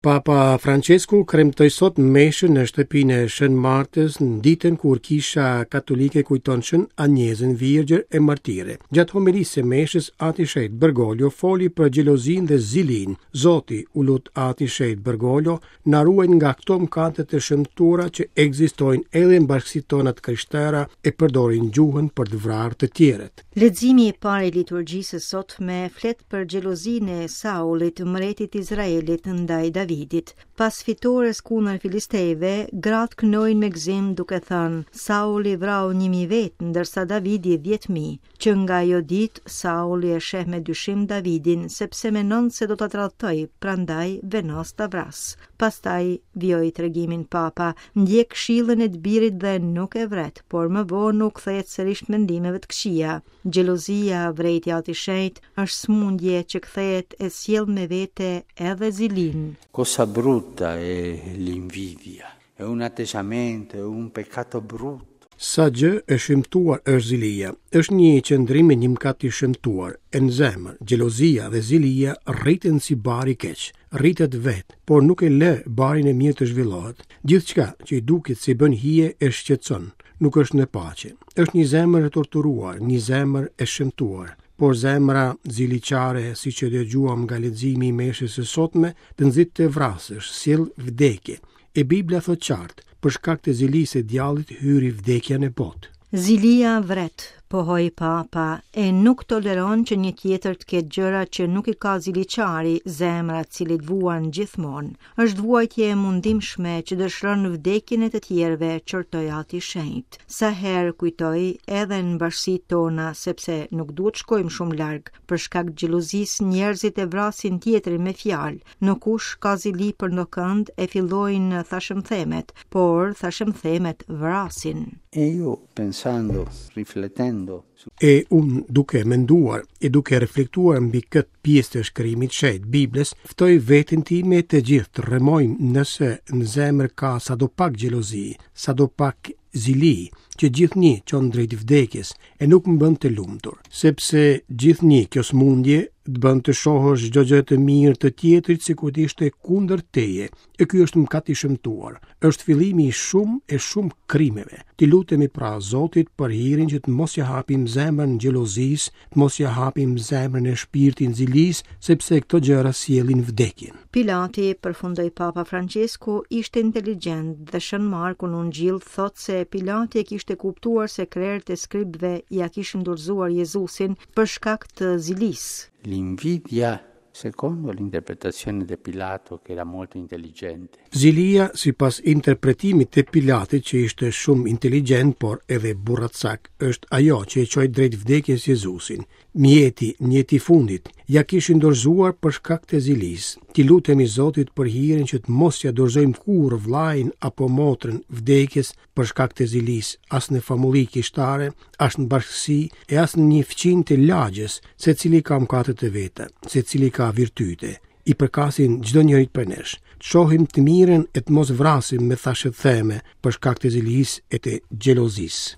Papa Francesku kremtoi sot meshën në shtëpinë e Shën Martës në ditën kur Kisha Katolike kujton Shën Anjezën Virgjër e Martire. Gjatë homilisë së meshës, Ati i Shenjtë Bergoglio foli për xhelozinë dhe zilinë. Zoti, u lut Ati i Shenjtë Bergoglio, na ruaj nga këto mëkate të shëmtuara që ekzistojnë edhe në bashkësitë tona të krishtera e përdorin gjuhën për të vrarë të tjerët. Leximi i parë i liturgjisë së sotme flet për xhelozinë e Saulit, mbretit të Izraelit, ndaj Davidit. Pas fitores kundër filistejve, gratë këndojnë me gëzim duke thënë, Sauli vrau 1000 vetë, ndërsa Davidi 10000. Që nga ajo ditë, Sauli e sheh me dyshim Davidin, sepse mendon se do ta tradhtojë, prandaj vendos ta vrasë. Pastaj, vijoi tregimin Papa, ndjek këshillën e të birit dhe nuk e vret, por më vonë u kthehet sërish mendimeve të këqija. Xhelozia, vërejti Ati i Shenjtë, është sëmundje që kthehet e sjell me vete edhe zilinë. Cosa brutta è l'invidia, è un atteggiamento, è un peccato brutto. Sa gjë e shëmtuar është zilia. Është një qëndrim e një mëkat i shëmtuar. E në zemër, xhelozia dhe zilia rriten si bar i keq. Rritet vetë, por nuk e lë barin e mirë të zhvillohet. Gjithçka që i duket se i bën hije e shqetëson, nuk është në paqe. Është një zemër e torturuar, një zemër e shëmtuar. Por zemra ziliqare, siç e dëgjuam nga leximi i meshës së sotme, të nxit të vrasësh, sjell vdekje. E Bibla thotë qartë, për shkak të zilisë së djallit hyri vdekja në botë. Zilia vret, pohoi Papa, e nuk toleron që një tjetër të ketë gjëra që nuk i ka ziliqari, zemra e të cilit vuan gjithmonë. Është vuajtje e mundimshme që dëshiron vdekjen e të tjerëve, qortoi Ati i Shenjtë. Sa herë kujtoj edhe në bashkësitë tona, sepse nuk duhet të shkojmë shumë larg, për shkak të xhelozisë njerëzit e vrasin tjetrin me fjalë, Ndokush ka zili për ndokënd e fillojnë thashemthemet, por thashemthemet vrasin. E io pensando, riflettendo su. E unë duke menduar e duke reflektuar mbi këtë pjesë të shkrimit të shenjtë Biblës, ftoj veten time e të gjithë të rrëmojmë nëse në zemër ka sadopak xhelozi, sadopak zili, që gjithnjë çon drejt vdekjes e nuk më bën të lumtur, sepse gjithnjë kjo sëmundje të bën të shohësh çdo gjë të mirë të tjetrit sikur të ishte kundër teje, e ky është mëkat i shëmtuar. Është fillimi i shumë e shumë krimeve. T'i lutemi pra Zotit për hirin që të mos ia hapim zemrën xhelozisë, të mos ia hapim zemrën e shpirtin zilisë, sepse këto gjëra sjellin vdekjen. Pilati, përfundoi Papa Françesku, ishte inteligjent dhe Shën Marku në Ungjill thotë se Pilati e kishte kuptuar se krerët e skribëve ia kishin dorëzuar Jezusin për shkak të zilisë. L'invidia Secondo l'interpretazione di Pilato, che era molto intelligente. Zilia, sipas interpretimit të Pilatit, që ishte shumë inteligjent, por edhe burracak, është ajo që e çoi drejt vdekjes Jezusin. Mjeti, mjeti i fundit, ia kishin dorëzuar për shkak të zilisë. T'i lutemi Zotit për hirin që të mos ia dorëzojmë kurrë vëllain apo motrën vdekjes për shkak të zilisë, as në famulli kishtare, as në bashkësi e as në një fqinj të lagjes, secili ka mëkatet e veta, secili ka virtyte. I përkasin çdo njërit prej nesh. Të shohim të mirën e të mos vrasim me thashetheme për shkak të zilisë e të xhelozisë.